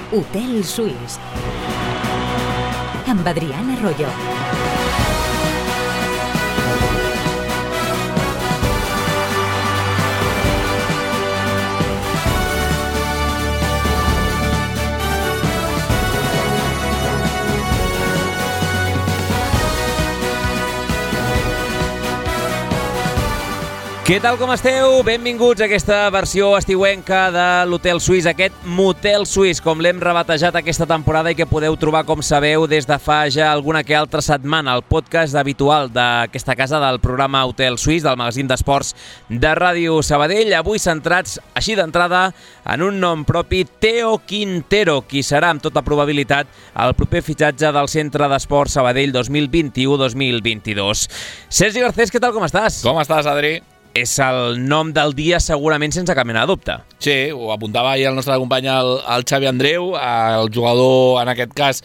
Hotel Suís, amb Adrián Arroyo. Què tal, com esteu? Benvinguts a aquesta versió estiuenca de l'Hotel Suís, aquest Motel Suís, com l'hem rebatejat aquesta temporada i que podeu trobar, com sabeu, des de fa ja alguna que altra setmana, el podcast habitual d'aquesta casa del programa Hotel Suís, del magazín d'esports de Ràdio Sabadell, avui centrats, així d'entrada, en un nom propi, Theo Quintero, qui serà, amb tota probabilitat, el proper fitxatge del Centre d'Esports Sabadell 2021-2022. Sergi Garcés, què tal, com estàs? Com estàs, Adri? És el nom del dia segurament sense cap mena de dubte. Sí, ho apuntava ahir el nostre company, el Xavi Andreu, el jugador, en aquest cas,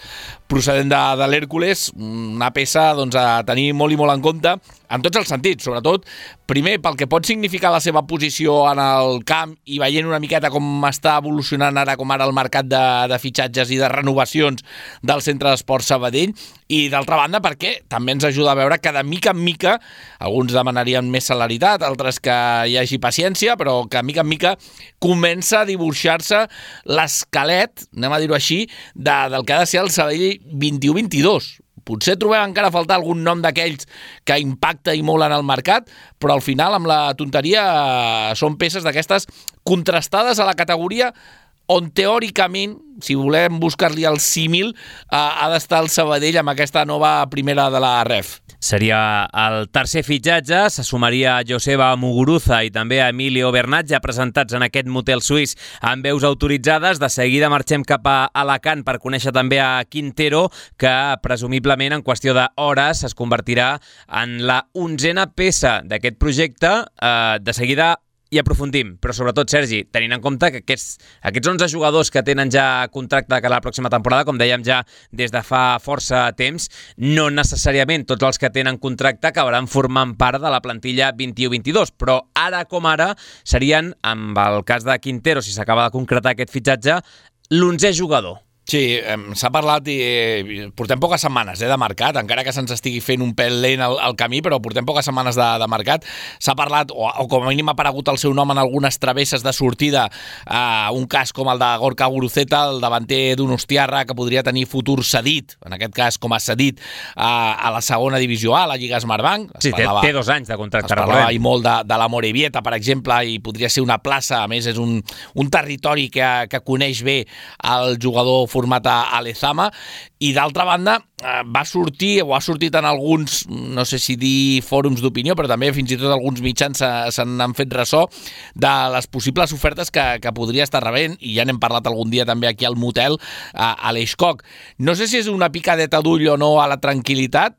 procedent de l'Hèrcules, una peça doncs, a tenir molt i molt en compte, en tots els sentits, sobretot, primer pel que pot significar la seva posició en el camp i veient una miqueta com està evolucionant ara com ara el mercat de fitxatges i de renovacions del Centre d'Esports Sabadell, i d'altra banda perquè també ens ajuda a veure que de mica en mica, alguns demanarien més celeritat, altres que hi hagi paciència, però que de mica en mica comença a dibuixar-se l'esquelet, anem a dir-ho així, del que ha de ser el Sabadell 21-22. Potser trobem encara a faltar algun nom d'aquells que impacta i molt en el mercat, però al final, amb la tonteria, són peces d'aquestes contrastades a la categoria on teòricament, si volem buscar-li el símil, ha d'estar el Sabadell amb aquesta nova primera de la REF. Seria el tercer fitxatge, se sumaria a Joseba Muguruza i també a Emilio Bernat, ja presentats en aquest Motel Suís amb veus autoritzades. De seguida marxem cap a Alacant per conèixer també a Quintero, que presumiblement en qüestió d'hores es convertirà en la 11a peça d'aquest projecte. De seguida i aprofundim, però sobretot, Sergi, tenint en compte que aquests 11 jugadors que tenen ja contracte de cara a la pròxima temporada, com dèiem ja des de fa força temps, no necessàriament tots els que tenen contracte acabaran formant part de la plantilla 21-22, però ara com ara serien, amb el cas de Quintero, si s'acaba de concretar aquest fitxatge, l'11è jugador. Sí, s'ha parlat i portem poques setmanes de mercat, encara que se'ns estigui fent un pèl lent el camí, però portem poques setmanes de mercat. S'ha parlat, o com a mínim ha aparegut el seu nom en algunes travesses de sortida, un cas com el de Gorka Guruceta, el davanter d'Donostiarra, que podria tenir futur cedit, en aquest cas com a cedit a la segona divisió A, la Lliga Smartbank. Sí, té 2 anys de contracte. Es parlava molt de la Morevieta, per exemple, i podria ser una plaça, a més és un territori que coneix bé el jugador format a Lezama, i d'altra banda va sortir, o ha sortit en alguns, no sé si dir fòrums d'opinió, però també fins i tot alguns mitjans se n'han fet ressò de les possibles ofertes que podria estar rebent, i ja n'hem parlat algun dia també aquí al motel, a l'Eixcock. No sé si és una picadeta d'ull o no a la tranquil·litat.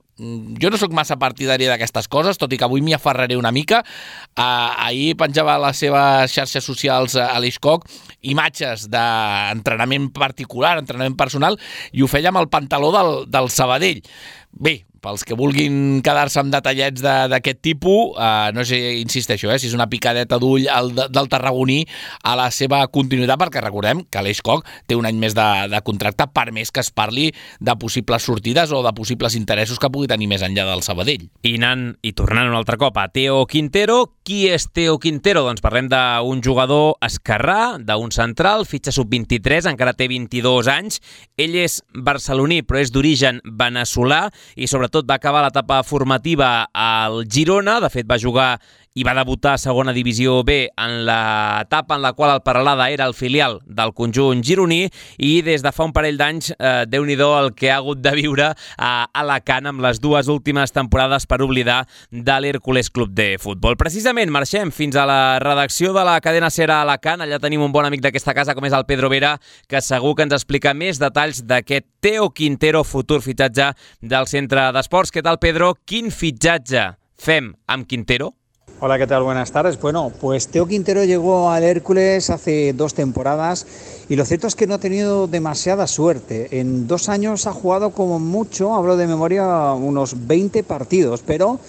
Jo no sóc massa partidari d'aquestes coses, tot i que avui m'hi aferraré una mica. Ahir penjava a les seves xarxes socials a l'Eixcock imatges d'entrenament particular, entrenament personal, i ho feia amb el pantaló del Sabadell. Bé, pels que vulguin quedar-se amb detallets d'aquest tipus, no sé, insisteixo, si és una picadeta d'ull del tarragoní a la seva continuïtat, perquè recordem que l'Eixcock té un any més de contracte, per més que es parli de possibles sortides o de possibles interessos que pugui tenir més enllà del Sabadell. I tornant un altre cop a Theo Quintero. Qui és Theo Quintero? Doncs parlem d'un jugador esquerrà, d'un central, fitxa sub-23, encara té 22 anys. Ell és barceloní, però és d'origen veneçolà, i sobretot va acabar l'etapa formativa al Girona. De fet, va jugar i va debutar a segona divisió B en l'etapa en la qual el Peralada era el filial del conjunt gironí, i des de fa un parell d'anys, Déu-n'hi-do el que ha hagut de viure a Alacant amb les 2 últimes temporades per oblidar de l'Hèrcules Club de Futbol. Precisament marxem fins a la redacció de la cadena SER a Alacant. Allà tenim un bon amic d'aquesta casa com és el Pedro Vera, que segur que ens explica més detalls d'aquest Theo Quintero, futur fitxatge del Centre d'Esports. Què tal, Pedro? Quin fitxatge fem amb Quintero? Hola, ¿qué tal? Buenas tardes. Bueno, pues Theo Quintero llegó al Hércules hace 2 temporadas y lo cierto es que no ha tenido demasiada suerte. En 2 años ha jugado como mucho, hablo de memoria, unos 20 partidos, pero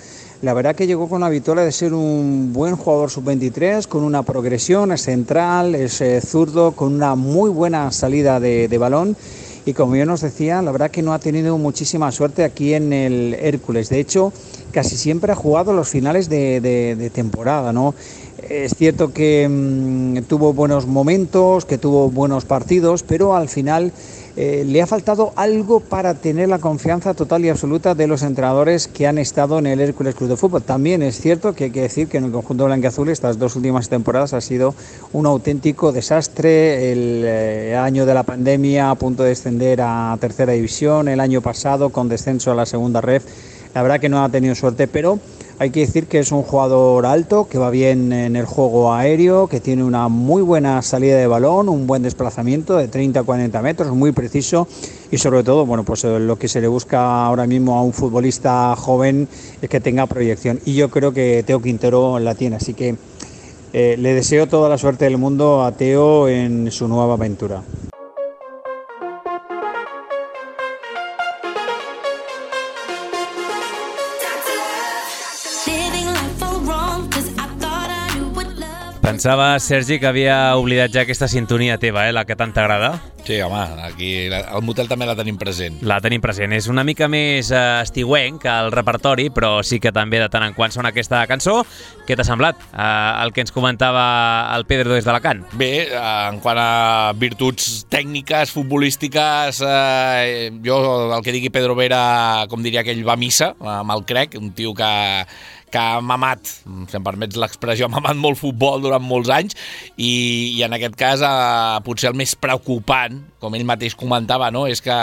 La verdad que llegó con la victoria de ser un buen jugador sub-23, con una progresión, es central, es zurdo, con una muy buena salida de balón. Y como yo nos decía, la verdad que no ha tenido muchísima suerte aquí en el Hércules. De hecho, casi siempre ha jugado los finales de temporada, ¿no? Es cierto que tuvo buenos momentos, que tuvo buenos partidos, pero al final le ha faltado algo para tener la confianza total y absoluta de los entrenadores que han estado en el Hércules Club de Fútbol. También es cierto que hay que decir que en el conjunto blanquiazul estas 2 últimas temporadas ha sido un auténtico desastre. El año de la pandemia, a punto de descender a tercera división, el año pasado con descenso a la segunda ref. La verdad que no ha tenido suerte, pero hay que decir que es un jugador alto, que va bien en el juego aéreo, que tiene una muy buena salida de balón, un buen desplazamiento de 30 a 40 metros, muy preciso, y sobre todo, bueno, pues lo que se le busca ahora mismo a un futbolista joven es que tenga proyección, y yo creo que Teo Quintero la tiene, así que le deseo toda la suerte del mundo a Teo en su nueva aventura. Pensava, Sergi, que havia oblidat ja aquesta sintonia teva, la que tant t'agrada. Sí, home, aquí al motel també la tenim present. La tenim present. És una mica més estiuenc que el repertori, però sí que també de tant en quant sona aquesta cançó. Què t'ha semblat el que ens comentava el Pedro des d'Alacant? Bé, en quant a virtuts tècniques, futbolístiques, jo el que digui Pedro Vera, com diria aquell, va a missa, amb el crec, un tio que ha mamat, si em permets l'expressió, ha mamat molt futbol durant molts anys i en aquest cas potser el més preocupant, com ell mateix comentava, no? És que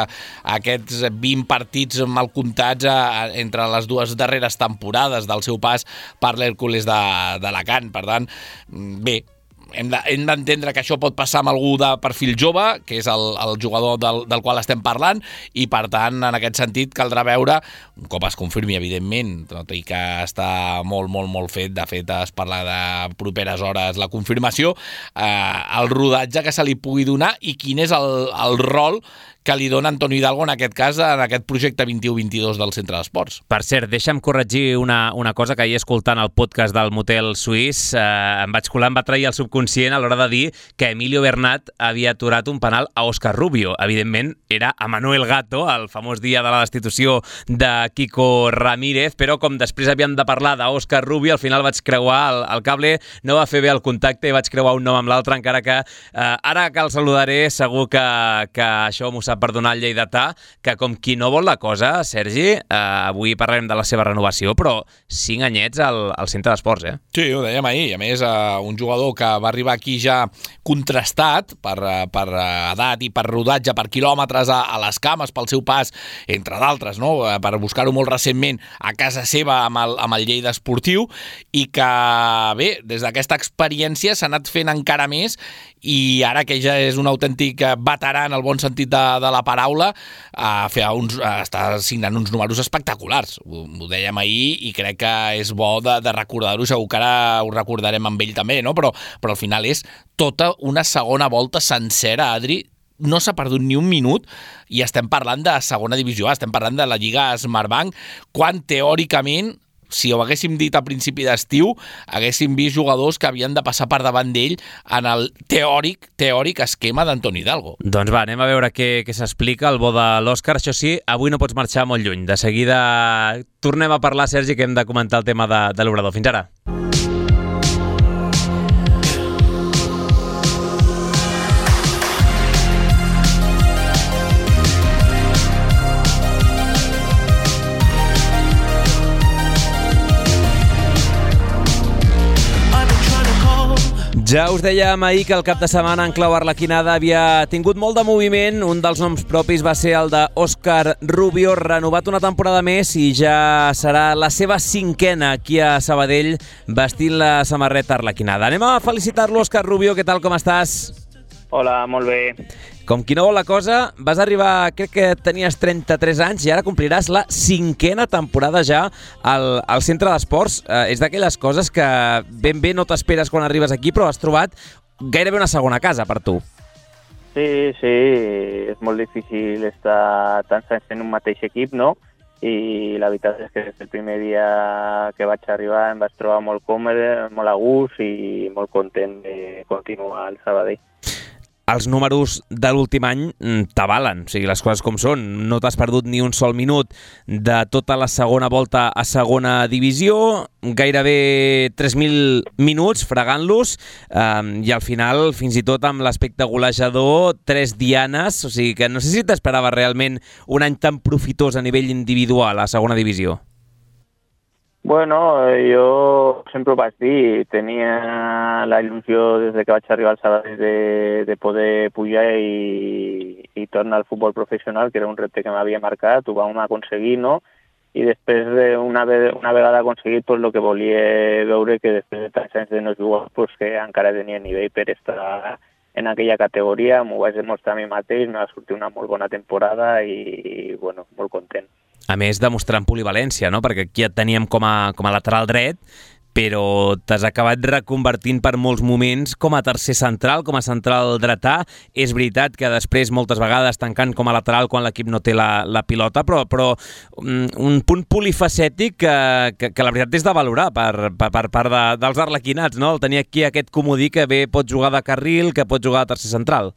aquests 20 partits mal comptats entre les 2 darreres temporades del seu pas per l'Hèrcules d'Alacant. Per tant, bé, hem d'entendre que això pot passar amb algú de perfil jove, que és el jugador del qual estem parlant, i per tant, en aquest sentit, caldrà veure, un cop es confirmi, evidentment, tot i que està molt, molt, molt fet, de fet es parla de properes hores la confirmació, el rodatge que se li pugui donar i quin és el rol que li dona Antonio Hidalgo, en aquest cas, en aquest projecte 21-22 del Centre d'Esports. Per cert, deixa'm corregir una cosa que ahir escoltant el podcast del Motel Suís em vaig colar, em va trair el subconscient a l'hora de dir que Emilio Bernat havia aturat un penal a Óscar Rubio. Evidentment, era a Manuel Gato, el famós dia de la destitució de Kiko Ramírez, però com després havíem de parlar d'Óscar Rubio, al final vaig creuar el cable, no va fer bé el contacte i vaig creuar un nom amb l'altre, encara que ara que el saludaré segur que això m'ho sap perdonar el lleidatà, que com qui no vol la cosa, Sergi, avui parlarem de la seva renovació, però 5 anyets al Centre d'Esports, Sí, ho dèiem ahir. A més, un jugador que va arribar aquí ja contrastat per edat i per rodatge, per quilòmetres a les cames, pel seu pas, entre d'altres, no? Per buscar-ho molt recentment a casa seva amb el Lleida Esportiu, i que, bé, des d'aquesta experiència s'ha anat fent encara més, i ara que ja és un autèntic veterà en el bon sentit de la paraula, està signant uns números espectaculars. Ho dèiem ahir i crec que és bo de recordar-ho, segur que ara ho recordarem amb ell també, no? Però al final és tota una segona volta sencera, Adri, no s'ha perdut ni un minut i estem parlant de segona divisió, estem parlant de la Lliga Smartbank, quan teòricament, si ho haguéssim dit a principi d'estiu, haguéssim vist jugadors que havien de passar per davant d'ell en el teòric esquema d'Antoni Hidalgo. Doncs va, anem a veure què s'explica el bo de l'Òscar. Això sí, avui no pots marxar molt lluny. De seguida tornem a parlar, Sergi, que hem de comentar el tema de l'Obrador. Fins ara. Ja us dèiem ahir que el cap de setmana en clau arlequinada havia tingut molt de moviment. Un dels noms propis va ser el d'Óscar Rubio, renovat una temporada més i ja serà la seva 5a aquí a Sabadell vestint la samarreta arlequinada. Anem a felicitar-lo, Óscar Rubio. Què tal, com estàs? Hola, molt bé. Com qui no vol la cosa, vas arribar, crec que tenies 33 anys i ara compliràs la 5a temporada ja al Centre d'Esports. És d'aquelles coses que ben bé no t'esperes quan arribes aquí, però has trobat gairebé una segona casa per tu. Sí, és molt difícil estar tants anys en un mateix equip, no? i la veritat és que des del primer dia que vaig arribar em vaig trobar molt còmode, molt a gust i molt content de continuar al Sabadell. Els números de l'últim any t'avalen, o sigui, les coses com són. No t'has perdut ni un sol minut de tota la segona volta a segona divisió, gairebé 3.000 minuts fregant-los, i al final, fins i tot amb l'aspecte golejador, 3 dianes, o sigui que no sé si t'esperava realment un any tan profitós a nivell individual a segona divisió. Bueno, jo sempre ho vaig dir, tenia la il·lusió des que vaig arribar al Sabadell de poder pujar i tornar al futbol professional, que era un repte que m'havia marcat, ho vam aconseguir, no? I després, una vegada aconseguit, pues, el que volia veure que després de tants anys de no jugar, pues, que encara tenia nivell per estar en aquella categoria, m'ho vaig demostrar a mi mateix, m'ha sortit una molt bona temporada i bueno, molt content. A més, demostrant polivalència, no? Perquè aquí et teníem com a lateral dret, però t'has acabat reconvertint per molts moments com a tercer central, com a central dretà. És veritat que després, moltes vegades, tancant com a lateral quan l'equip no té la pilota, però un punt polifacètic que la veritat és de valorar per part dels arlequinats, no? El tenir aquí aquest comodí que bé pot jugar de carril, que pot jugar de tercer central.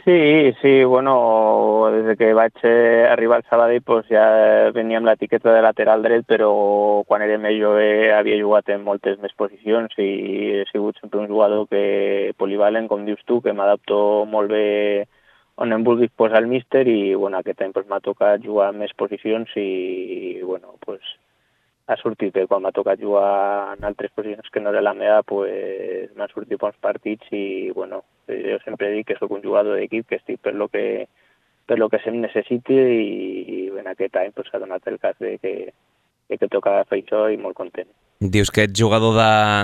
Sí, bueno, des que vaig arribar al Sabadell pues ja venia amb l'etiqueta de lateral dret, però quan era més jove havia jugat en moltes més posicions i he sigut sempre un jugador que polivalent, com dius tu, que m'adapto molt bé on em vulguis posar el míster i bueno, aquest any pues, m'ha tocat jugar en més posicions i bueno, pues, ha sortit bé. Quan m'ha tocat jugar en altres posicions que no era la meva, pues, m'han sortit bons partits i bueno, jo sempre dic que sóc un jugador d'equip, que estic per lo que se'm necessiti i en aquest any pues, s'ha donat el cas de que toca fer això i molt content. Dius que ets jugador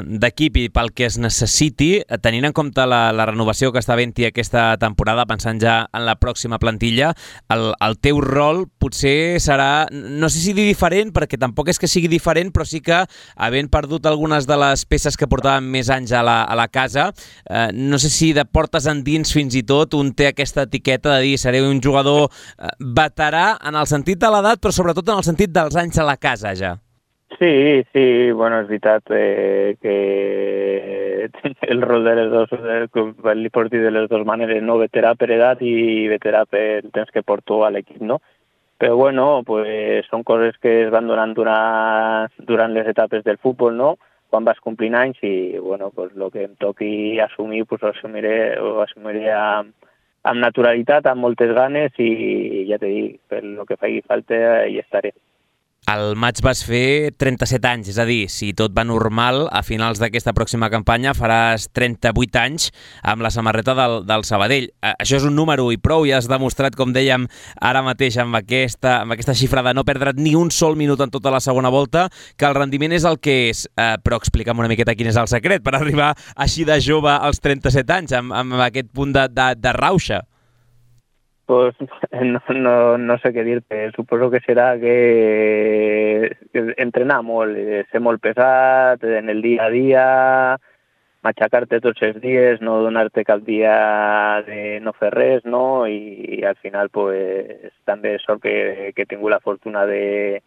d'equip i pel que es necessiti, tenint en compte la renovació que està havent-hi aquesta temporada, pensant ja en la pròxima plantilla, el teu rol potser serà, no sé si dir diferent, perquè tampoc és que sigui diferent, però sí que havent perdut algunes de les peces que portaven més anys a la casa, no sé si de portes endins fins i tot un té aquesta etiqueta de dir seré un jugador veterà en el sentit de l'edat, però sobretot en el sentit dels anys a la casa ja. Sí, bueno, és veritat que el rol de les dos, li pots dir de les dues maneres, no? Veterà per edat i veterà per el temps que porto a l'equip, no? Però bueno, pues, són coses que es van donant durant les etapes del futbol, no? Quan vas complint anys i bueno, pues, el que em toqui assumir, pues, ho assumiré amb naturalitat, amb moltes ganes i ja t'he dit, per el que faci falta hi estaré. Al maig vas fer 37 anys, és a dir, si tot va normal, a finals d'aquesta pròxima campanya faràs 38 anys amb la samarreta del Sabadell. Això és un número i prou, ja has demostrat, com dèiem ara mateix, amb aquesta xifra de no perdre't ni un sol minut en tota la segona volta, que el rendiment és el que és. Però explica'm una miqueta quin és el secret per arribar així de jove als 37 anys, amb aquest punt de rauxa. Pues no sé què dir-te. Suposo que serà que entrenar molt, ser molt pesat en el dia a dia, matxacar-te tots els dies, no donar-te cap dia de no fer res, no? I al final pues, també sort que he tingut la fortuna de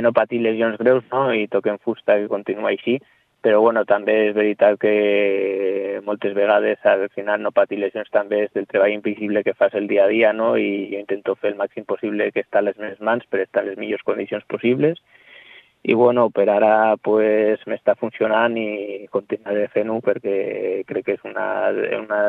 no patir lesions greus, no? I toquem fusta que continua així. Però bueno, també és veritat que moltes vegades al final no patir lesions també és del treball invisible que fas el dia a dia, no? I jo intento fer el màxim possible que està a les meves mans per estar en les millors condicions possibles. I bueno, per ara pues, m'està funcionant i continuaré fent-ho perquè crec que és una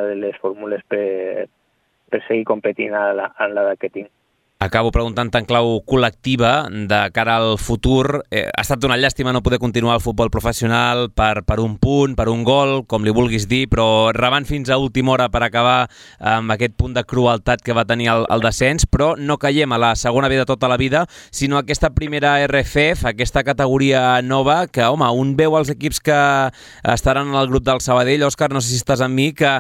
de les fórmules per seguir competint a l'edat que tinc. Acabo preguntant en clau col·lectiva de cara al futur. Ha estat una llàstima no poder continuar el futbol professional per un punt, per un gol, com li vulguis dir, però rebant fins a última hora per acabar amb aquest punt de crueltat que va tenir el descens, però no caiem a la segona B de tota la vida, sinó a aquesta primera RFF, aquesta categoria nova, que, home, un veu els equips que estaran en el grup del Sabadell, Òscar, no sé si estàs amb mi, que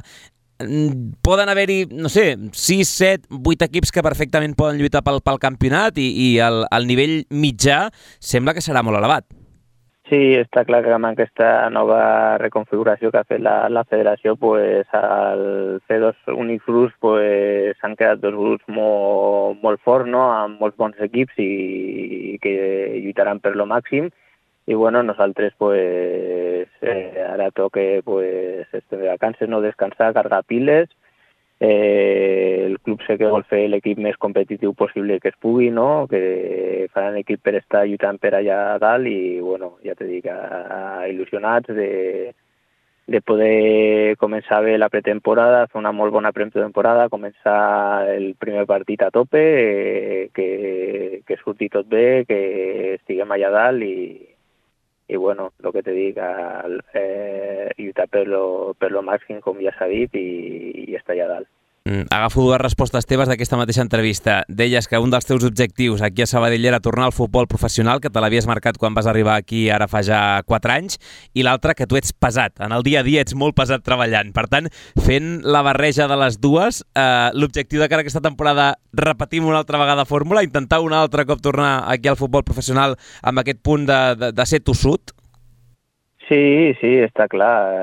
poden haver-hi, no sé, 6, 7, 8 equips que perfectament poden lluitar pel campionat i el nivell mitjà sembla que serà molt elevat. Sí, està clar que amb aquesta nova reconfiguració que ha fet la federació, pues, al fer dos únics grups, pues, s'han quedat dos grups molt forts, no? Amb molts bons altres equips i que lluitaran per lo màxim. I bueno, nosaltres pues, ara toca pues, estem de vacances, no descansar, cargar piles. El club sé que vol fer l'equip més competitiu possible que es pugui, no? Que faran equip per estar lluitant per allà dalt i bueno, ja te dic, il·lusionats de poder començar bé la pretemporada, fer una molt bona pretemporada, començar el primer partit a tope, que surti tot bé, que estiguem allà dalt i bueno, el que te dic, lluitar per lo màxim, com ja s'ha dit, i estar allà dalt. Agafo dues respostes teves d'aquesta mateixa entrevista. Deies que un dels teus objectius aquí a Sabadell era tornar al futbol professional, que te l'havies marcat quan vas arribar aquí ara fa ja 4 anys, i l'altre que tu ets pesat. En el dia a dia ets molt pesat treballant. Per tant, fent la barreja de les dues, l'objectiu de cara a aquesta temporada, repetim una altra vegada fórmula, intentar un altre cop tornar aquí al futbol professional amb aquest punt de ser tossut? Sí, està clar.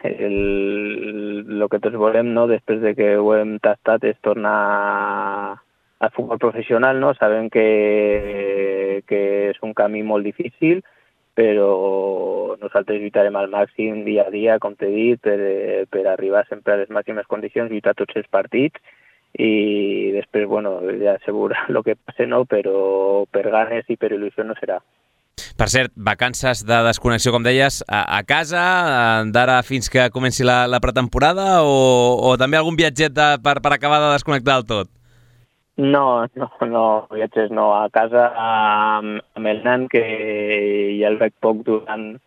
El que tots volem, no, després de que ho hem tastat, és tornar al futbol professional, no? Sabem que és un camí molt difícil, però nosaltres lluitarem al màxim dia a dia, com t'he dit, per arribar sempre a les màximes condicions, lluitar tots els partits i després, bueno, ja segur el que passe, no? Però per ganes i per il·lusió no serà. Per cert, vacances de desconnexió, com deies, a casa, d'ara fins que comenci la pretemporada o també algun viatget per acabar de desconnectar del tot? No, viatges no. A casa amb el nan, que ja el veig poc durant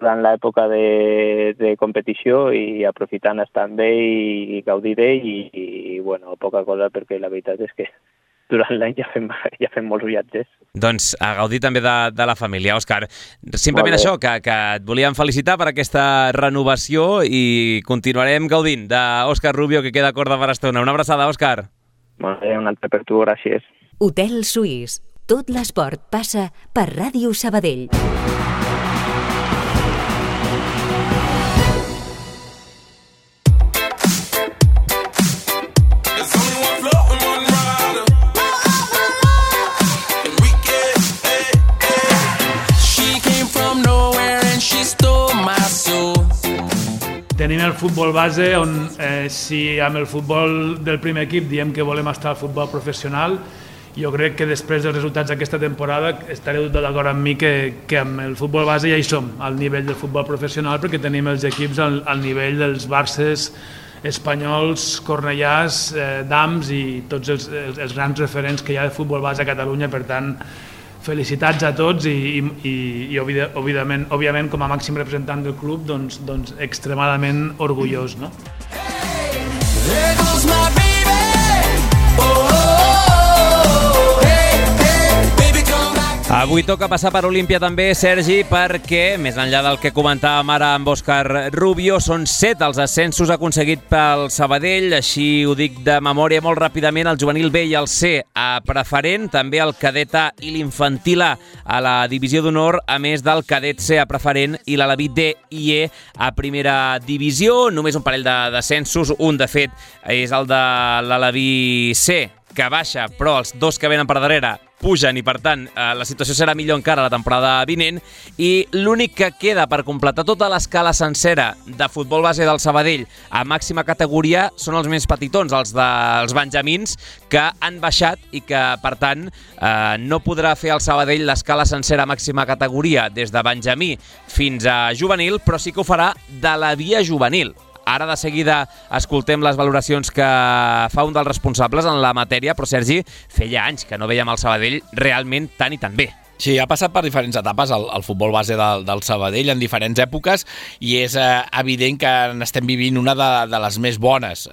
l'època de competició i aprofitant estar amb ell i gaudir d'ell i bueno, poca cosa, perquè la veritat és que durant l'any ja fem molts viatges. Doncs a gaudir també de la família. Òscar, simplement això, que et volíem felicitar per aquesta renovació i continuarem gaudint d'Òscar Rubio, que queda corda per estona. Una abraçada, Òscar. Molt bé, un altre per tu, gràcies. Hotel Suís. Tot l'esport passa per Ràdio Sabadell. Tenim el futbol base on si amb el futbol del primer equip diem que volem estar al futbol professional, jo crec que després dels resultats d'aquesta temporada estareu tot d'acord amb mi que amb el futbol base ja hi som al nivell del futbol professional, perquè tenim els equips al nivell dels Barces espanyols, Cornellàs, Dams i tots els grans referents que hi ha de futbol base a Catalunya. Per tant, felicitats a tots i òbviament com a màxim representant del club doncs extremadament orgullós, no? Avui toca passar per Olímpia també, Sergi, perquè, més enllà del que comentàvem ara amb Òscar Rubio, són 7 els ascensos aconseguits pel Sabadell, així ho dic de memòria molt ràpidament, el juvenil B i el C a preferent, també el cadet A i l'infantil A a la divisió d'honor, a més del cadet C a preferent i l'Aleví D i E a primera divisió. Només un parell d'ascensos, un de fet és el de l'Aleví C, que baixa, però els dos que venen per darrere pugen i, per tant, la situació serà millor encara la temporada vinent. I l'únic que queda per completar tota l'escala sencera de futbol base del Sabadell a màxima categoria són els més petitons, els dels benjamins, que han baixat i que, per tant, no podrà fer el Sabadell l'escala sencera a màxima categoria des de benjamí fins a juvenil, però sí que ho farà de la via juvenil. Ara de seguida escoltem les valoracions que fa un dels responsables en la matèria, però Sergi, feia anys que no veiem el Sabadell realment tan i tan bé. Sí, ha passat per diferents etapes el futbol base del Sabadell en diferents èpoques i és evident que n'estem vivint una de les més bones.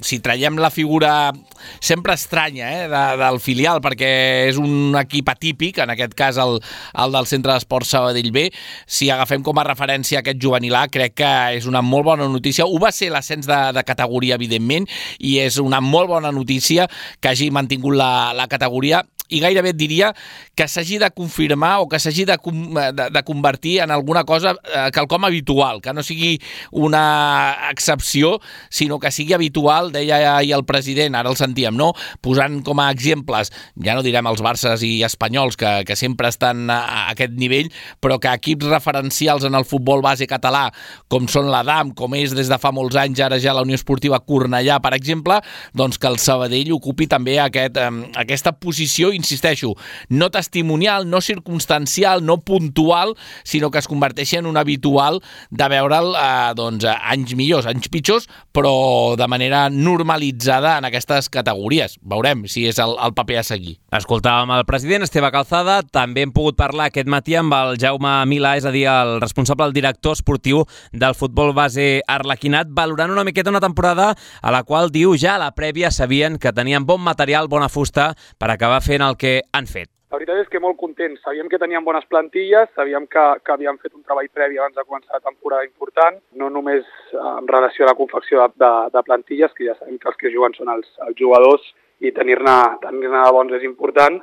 Si traiem la figura sempre estranya del filial, perquè és un equip atípic, en aquest cas el del Centre d'Esports Sabadell B, si agafem com a referència aquest juvenil A, crec que és una molt bona notícia. Ho va ser l'ascens de categoria, evidentment, i és una molt bona notícia que hagi mantingut la categoria. i gairebé et diria que s'hagi de confirmar o que s'hagi de convertir en alguna cosa quelcom habitual, que no sigui una excepció, sinó que sigui habitual, deia ahir el president, ara el sentíem, no? Posant com a exemples, ja no direm els Barces i Espanyols, que sempre estan a aquest nivell, però que equips referencials en el futbol base català, com són l'Adam, com és des de fa molts anys ara ja la Unió Esportiva Cornellà, per exemple, doncs que el Sabadell ocupi també aquesta posició, insisteixo, no testimonial, no circumstancial, no puntual, sinó que es converteixi en un habitual de veure'l anys millors, anys pitjors, però de manera normalitzada en aquestes categories. Veurem si és el paper a seguir. Escoltàvem el president Esteve Calzada, també hem pogut parlar aquest matí amb el Jaume Milà, és a dir, el responsable, el director esportiu del futbol base arlequinat, valorant una miqueta una temporada a la qual diu ja a la prèvia sabien que tenien bon material, bona fusta per acabar fent el que han fet. La veritat és que molt contents. Sabíem que teníem bones plantilles, sabíem que havíem fet un treball previ abans de començar la temporada important, no només en relació a la confecció de plantilles, que ja sabem que els que juguen són els jugadors i tenir-ne de bons és important,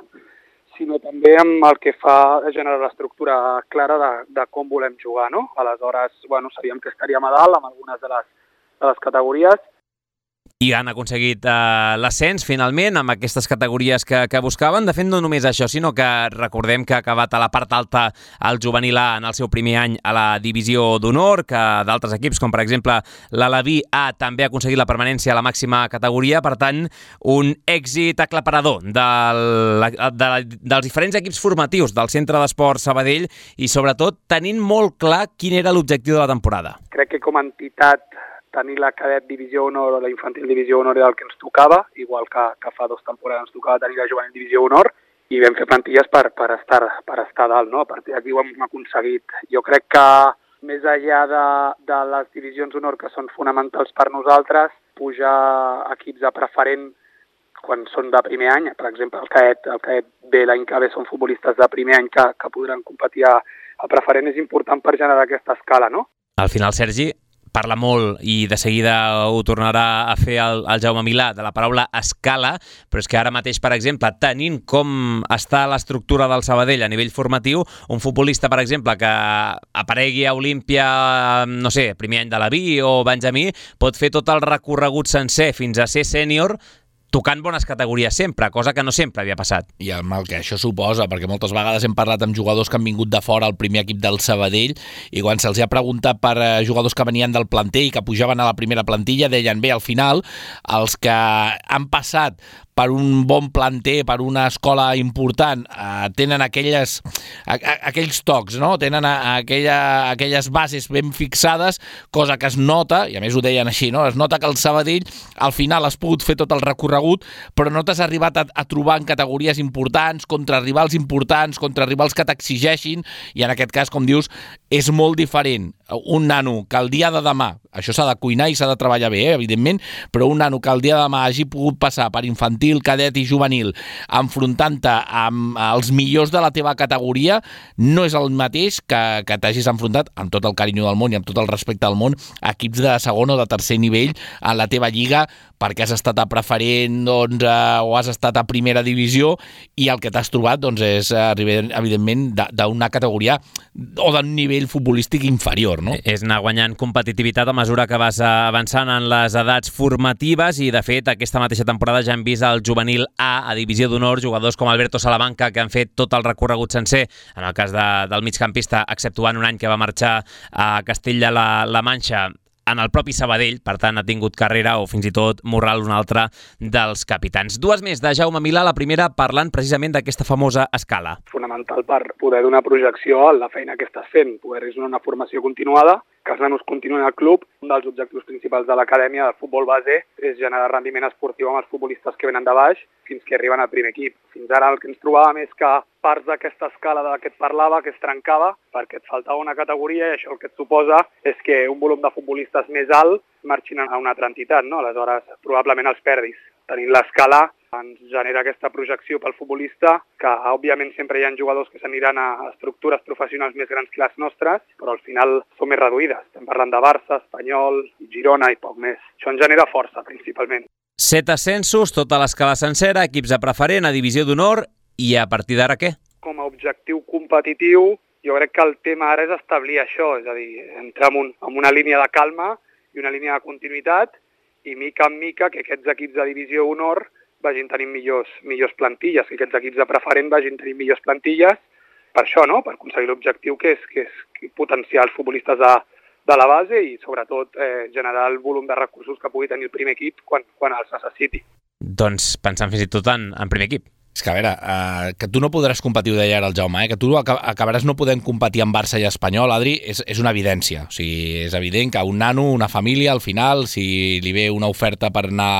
sinó també amb el que fa a generar l'estructura clara de com volem jugar, no? Aleshores, sabíem que estaríem a dalt amb algunes de les categories. I han aconseguit l'ascens, finalment, amb aquestes categories que buscaven. De fet, no només això, sinó que recordem que ha acabat a la part alta el juvenil A en el seu primer any a la divisió d'honor, que d'altres equips, com per exemple l'Alaví A, també ha aconseguit la permanència a la màxima categoria. Per tant, un èxit aclaparador dels diferents equips formatius del Centre d'Esport Sabadell i, sobretot, tenint molt clar quin era l'objectiu de la temporada. Crec que com a entitat tenir la cadet divisió honor o la infantil divisió honor era el que ens tocava, igual que fa 2 temporades ens tocava tenir la juvenil divisió honor, i vam fer plantilles per estar dalt, no? A partir d'aquí ho hem aconseguit. Jo crec que més enllà de les divisions honor que són fonamentals per nosaltres, pujar equips a preferent quan són de primer any, per exemple el cadet B l'any que ve són futbolistes de primer any que podran competir a preferent, és important per generar aquesta escala, no? Al final, Sergi, parla molt i de seguida ho tornarà a fer el Jaume Milà de la paraula escala, però és que ara mateix, per exemple, tenint com està l'estructura del Sabadell a nivell formatiu, un futbolista, per exemple, que aparegui a Olímpia, no sé, primer any de l'Aví o Benjamí, pot fer tot el recorregut sencer fins a ser sènior tocant bones categories sempre, cosa que no sempre havia passat. I el mal que això suposa, perquè moltes vegades hem parlat amb jugadors que han vingut de fora al primer equip del Sabadell i quan se'ls ha preguntat per jugadors que venien del planter i que pujaven a la primera plantilla, deien, bé, al final, els que han passat per un bon planter, per una escola important, tenen aquells tocs, no? Tenen aquelles bases ben fixades, cosa que es nota, i a més ho deien així, no? Es nota que el Sabadell al final has pogut fer tot el recorregut, però no t'has arribat a trobar en categories importants, contra rivals importants, contra rivals que t'exigeixin, i en aquest cas, com dius, és molt diferent. Un nano que el dia de demà, això s'ha de cuinar i s'ha de treballar bé, evidentment, però un nano que el dia de demà hagi pogut passar per infantil, cadet i juvenil, enfrontant-te amb els millors de la teva categoria, no és el mateix que t'hagis enfrontat, amb tot el carinyo del món i amb tot el respecte al món, a equips de segon o de tercer nivell en la teva lliga, perquè has estat a preferent o has estat a primera divisió i el que t'has trobat és, evidentment, d'una categoria o d'un nivell futbolístic inferior, no? És anar guanyant competitivitat a mesura que vas avançant en les edats formatives i, de fet, aquesta mateixa temporada ja hem vist el juvenil A divisió d'honor, jugadors com Alberto Salamanca que han fet tot el recorregut sencer, en el cas del migcampista, exceptuant un any que va marxar a Castella la Manxa, en el propi Sabadell, per tant ha tingut carrera o fins i tot Morral, un altre dels capitans. 2 més de Jaume Milà, la primera parlant precisament d'aquesta famosa escala. Fonamental per poder donar projecció a la feina que estàs fent, poder donar una formació continuada, que els nanos continuïn al club. Un dels objectius principals de l'acadèmia del futbol base és generar rendiment esportiu amb els futbolistes que venen de baix fins que arriben al primer equip. Fins ara el que ens trobàvem és que parts d'aquesta escala de la que et parlava, que es trencava, perquè et faltava una categoria i això el que et suposa és que un volum de futbolistes més alt marxin a una altra entitat, no? Aleshores, probablement els perdis. Tenint l'escala ens genera aquesta projecció pel futbolista, que òbviament sempre hi ha jugadors que s'aniran a estructures professionals més grans que les nostres, però al final són més reduïdes. Estem parlant de Barça, Espanyol, Girona i poc més. Això ens genera força, principalment. 7 ascensos, tota l'escala sencera, equips a preferent, a divisió d'honor I a partir d'ara què? Com a objectiu competitiu, jo crec que el tema ara és establir això, és a dir, entrar en una línia de calma i una línia de continuïtat i mica en mica que aquests equips de divisió honor vagin tenint millors plantilles, que aquests equips de preferent vagin tenint millors plantilles, per això, no? Per aconseguir l'objectiu que és potenciar els futbolistes de la base i sobretot generar el volum de recursos que pugui tenir el primer equip quan els necessiti. Doncs pensant fins i tot en primer equip. És que, a veure, que tu no podràs competir, ho deia ara el Jaume, que tu acabaràs no podent competir amb Barça i Espanyol, Adri, és una evidència. O sigui, és evident que un nano, una família, al final, si li ve una oferta per anar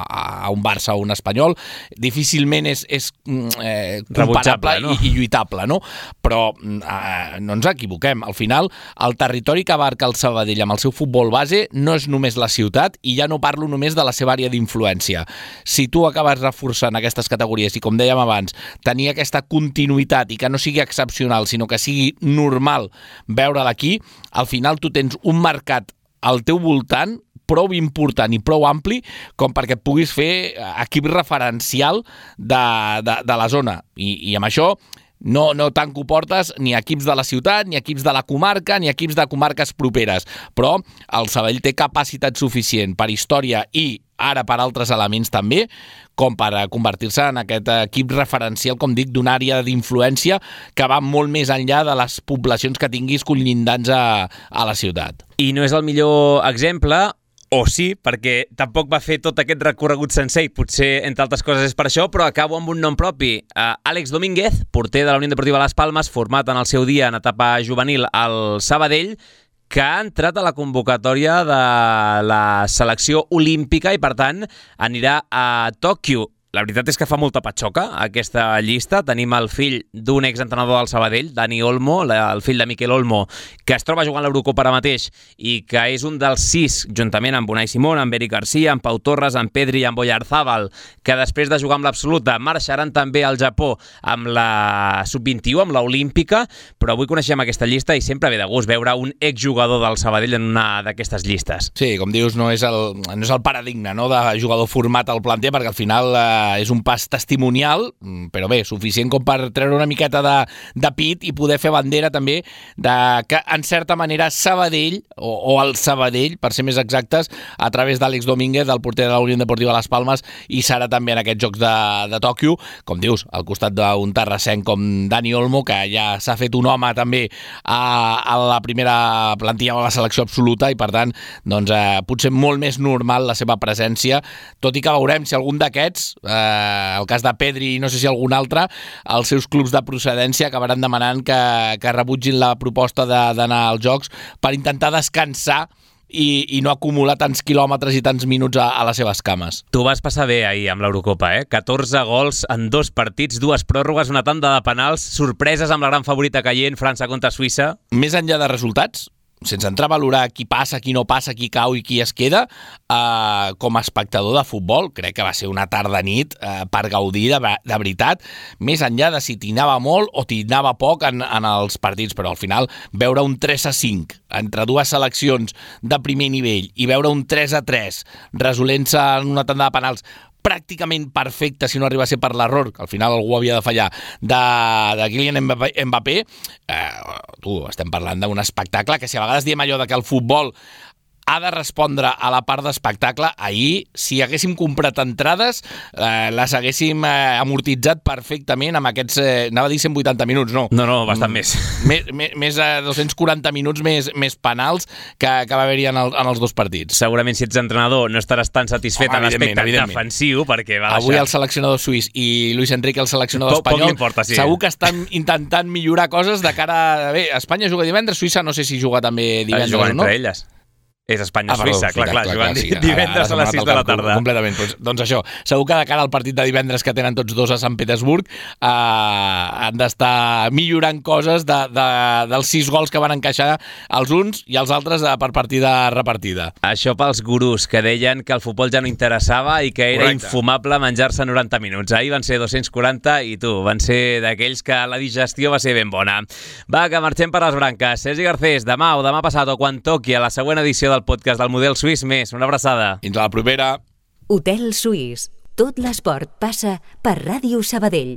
a un Barça o un Espanyol, difícilment és comparable, no? i lluitable, no? Però no ens equivoquem. Al final, el territori que abarca el Sabadell amb el seu futbol base no és només la ciutat i ja no parlo només de la seva àrea d'influència. Si tu acabes reforçant aquestes categories i, com dèiem abans, tenir aquesta continuïtat i que no sigui excepcional, sinó que sigui normal veure-la aquí, al final tu tens un mercat al teu voltant prou important i prou ampli com perquè et puguis fer equip referencial de la zona. I amb això no tanco portes ni equips de la ciutat, ni equips de la comarca, ni equips de comarques properes. Però el Sabadell té capacitat suficient per història i ara per altres elements també, com per convertir-se en aquest equip referencial, com dic, d'una àrea d'influència que va molt més enllà de les poblacions que tinguis conllindants a la ciutat. I no és el millor exemple, o sí, perquè tampoc va fer tot aquest recorregut sencer i potser, entre altres coses, és per això, però acabo amb un nom propi. Àlex Domínguez, porter de la Unió Deportiva Las Palmes, format en el seu dia en etapa juvenil al Sabadell, que ha entrat a la convocatòria de la selecció olímpica i, per tant, anirà a Tòquio. La veritat és que fa molta patxoca aquesta llista. Tenim el fill d'un exentrenador del Sabadell, Dani Olmo, el fill de Miquel Olmo, que es troba jugant l'Eurocopa ara mateix i que és un dels 6, juntament amb Unai Simón, amb Eric Garcia, amb Pau Torres, amb Pedri i amb Oyarzábal, que després de jugar amb l'Absoluta marxaran també al Japó amb la Sub-21, amb l'Olímpica, però avui coneixem aquesta llista i sempre ve de gust veure un exjugador del Sabadell en una d'aquestes llistes. Sí, com dius, no és el paradigma, no, de jugador format al planter, perquè al final és un pas testimonial, però bé, suficient com per treure una miqueta de pit i poder fer bandera també de que, en certa manera, Sabadell, o el Sabadell, per ser més exactes, a través d'Àlex Domínguez, el porter de la Unió Deportiva Las Palmes, i serà també en aquests Jocs de Tòquio, com dius, al costat d'un terrassenc com Dani Olmo, que ja s'ha fet un home també a la primera plantilla de la selecció absoluta i, per tant, doncs, potser molt més normal la seva presència, tot i que veurem si algun d'aquests, el cas de Pedri i no sé si algun altre, els seus clubs de procedència acabaran demanant que rebutgin la proposta d'anar als Jocs per intentar descansar i no acumular tants quilòmetres i tants minuts a les seves cames. Tu vas passar bé ahir amb l'Eurocopa, 14 gols en 2 partits, 2 pròrrogues, una tanda de penals, sorpreses amb la gran favorita caient, França contra Suïssa. Més enllà de resultats, sense entrar a valorar qui passa, qui no passa, qui cau i qui es queda, com a espectador de futbol, crec que va ser una tarda-nit per gaudir de veritat, més enllà de si t'hi anava molt o t'hi anava poc en els partits, però al final veure un 3-5 entre dues seleccions de primer nivell i veure un 3-3 resolent-se en una tanda de penals pràcticament perfecte, si no arriba a ser per l'error, que al final algú havia de fallar, de Kylian Mbappé, estem parlant d'un espectacle que, si a vegades diem allò de que el futbol ha de respondre a la part d'espectacle, ahir, si haguéssim comprat entrades, les haguéssim amortitzat perfectament amb aquests, anava a dir 180 minuts, no. No, bastant més. Més de 240 minuts més penals que va haver-hi en els dos partits. Segurament, si ets entrenador, no estaràs tan satisfet en l'aspecte defensiu, perquè va deixar... Avui el seleccionador suís i Luis Enrique, el seleccionador espanyol, sí. Segur que estan intentant millorar coses de cara a... Bé, Espanya juga divendres, Suïssa no sé si juga també divendres o no. Entre elles. És Espanya-Suïssa, clar, jugant divendres a les 6 de la tarda. Completament. Doncs això, segur que de cara al partit de divendres que tenen tots dos a Sant Petersburg han d'estar millorant coses dels 6 gols que van encaixar els uns i els altres per partida repartida. Això pels gurús que deien que el futbol ja no interessava i que era infumable menjar-se 90 minuts. Ahir van ser 240 i van ser d'aquells que la digestió va ser ben bona. Va, que marxem per les branques. Sergi Garcés, demà o demà passat o quan toqui a la següent edició del podcast del Model Suís més. Una abraçada. Fins a la propera. Hotel Suís, Tot l'esport passa per Ràdio Sabadell.